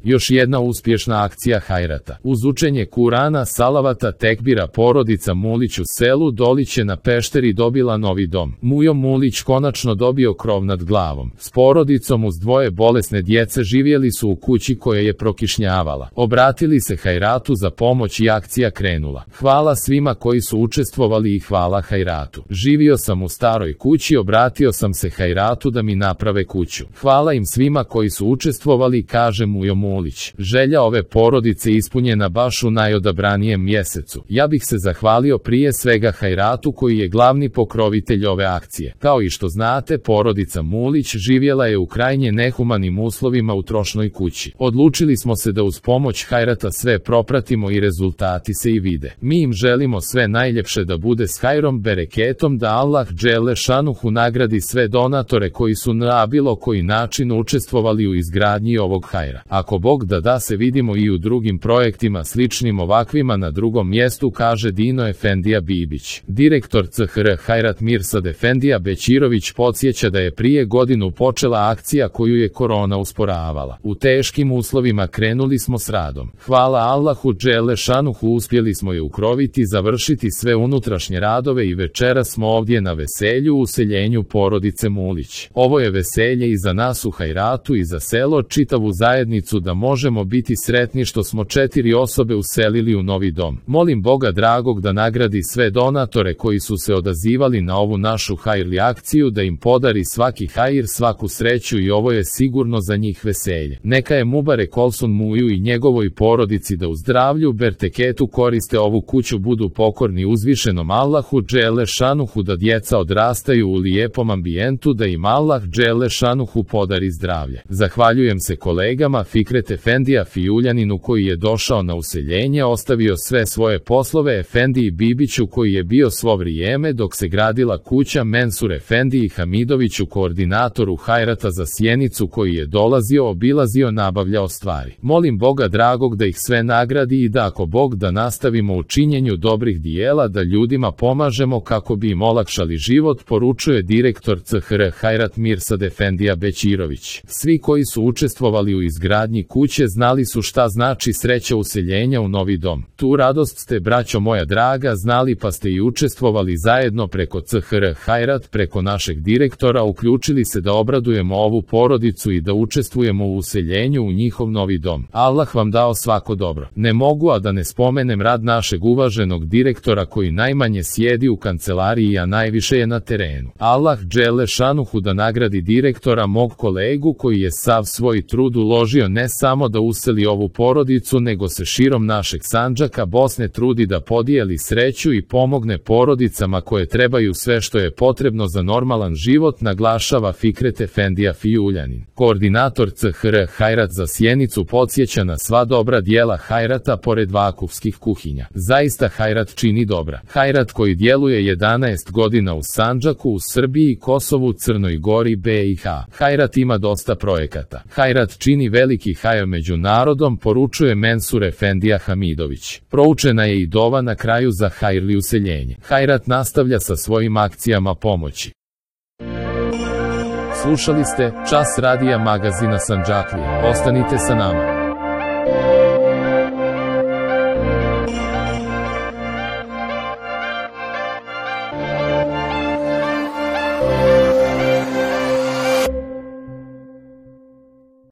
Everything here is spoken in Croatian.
Još jedna uspješna akcija Hajrata. Uz učenje Kurana, salavata, tekbira porodica Mulić u selu Doliće na Pešteri dobila novi dom. Mujo Mulić konačno dobio krov nad glavom. S porodicom uz dvoje bolesne djece živjeli su u kući koja je prokišnjavala. Obratili se Hajratu za pomoć i akcija krenula. Hvala svima koji su učestvovali i hvala Hajratu. Živio sam u staroj kući, obratio sam se Hajratu da mi naprave kuću. Hvala im svima koji su učestvovali, kaže Mujo Mulić. Želja ove porodice ispunjena baš u najodabranijem mjesecu. Ja bih se zahvalio prije svega Hajratu koji je glavni pokrovitelj ove akcije. Kao i što znate, porodica Mulić živjela je u krajnje nehumanim uslovima u trošnoj kući. Odlučili smo se da uz pomoć Hajrata sve propratimo i rezultati se i vide. Mi im želimo sve najljepše, da bude s hajrom, bereketom, da Allah dželle šanuhu nagradi sve donatore koji su na bilo koji način učestvovali u izgradnji ovog hajra. Ako Bog da se vidimo i u drugim projektima sličnim ovakvima na drugom mjestu, kaže Dino Efendija Bibić. Direktor CHR Hajrat Mirsad Efendija Bećirović podsjeća da je prije godinu počela akcija koju je korona usporavala. U teškim uslovima krenuli smo s radom. Hvala Allahu dželle šanuhu uspjeli smo je ukroviti, završiti sve unutrašnje radove i večeras smo ovdje na veselju u useljenju porodice Mulić. Ovo je veselje i za nas u Hajratu i za selo, čitavu zajednicu, da možemo biti sretni što smo 4 osobe uselili u novi dom. Molim Boga dragog da nagradi sve donatore koji su se odazivali na ovu našu hajrli akciju, da im podari svaki hajr, svaku sreću i ovo je sigurno za njih veselje. Neka je Mubarek Olsun Muju i njegovoj porodici da u zdravlju, berteketu koriste ovu kuću, budu pokorni uzvišenom Allahu dželle šanuhu, da djeca odrastaju u lijepom ambijentu, da im Allah dželle šanuhu podari zdravlje. Zahvaljujem se kolegama Fikret Efendija Fijuljaninu koji je došao na useljenje, ostavio sve svoje poslove, Efendiji Bibiću koji je bio svo vrijeme dok se gradila kuća, Mensur Efendiji Hamidoviću, koordinatoru Hajrata za Sjenicu koji je dolazio, obilazio, nabavljao stvari. Molim Boga dragog da ih sve nagradi i da ako Bog da nastavimo u činjenju dobrih dijela, da ljudima pomažemo kako bi im olakšali život, poručuje direktor CHR Hajrat Mirsad Efendija Bećirović. Svi koji su učestvovali u izgradnji kuće znali su šta znači sreća useljenja u novi dom. Tu radost ste, braćo moja draga, znali pa ste i učestvovali zajedno preko CHR Hajrat, preko našeg direktora, uključili se da obradujemo ovu porodicu i da učestvujemo u useljenju u njihov novi dom. Allah vam dao svako dobro. Ne mogu a da ne spomenem rad našeg uvaženog direktora koji najmanje sjedi u kancelariji, a najviše je na terenu. Allah dželle šanuhu da nagradi direktora, mog kolegu koji je sav svoj trud uložio ne samo da useli ovu porodicu, nego se širom našeg Sandžaka, Bosne trudi da podijeli sreću i pomogne porodicama koje trebaju sve što je potrebno za normalan život, naglašava Fikret Efendija Fijuljanin. Koordinator CHR Hajrat za Sjenicu podsjeća na sva dobra dijela Hajrata pored vakufskih kuhinja. Zaista Hajrat čini dobra. Hajrat koji djeluje 11 godina u Sandžaku, u Srbiji, Kosovu, Crnoj Gori, BiH. Hajrat ima dosta projekata. Hajrat čini veliki hajr među narodom, poručuje Mensur Efendija Hamidović. Proučena je i dova na kraju za hajrli useljenje. Hajrat nastavlja sa svojim akcijama pomoći. Slušali ste Čas radija magazina Sandžaklije. Ostanite sa nama.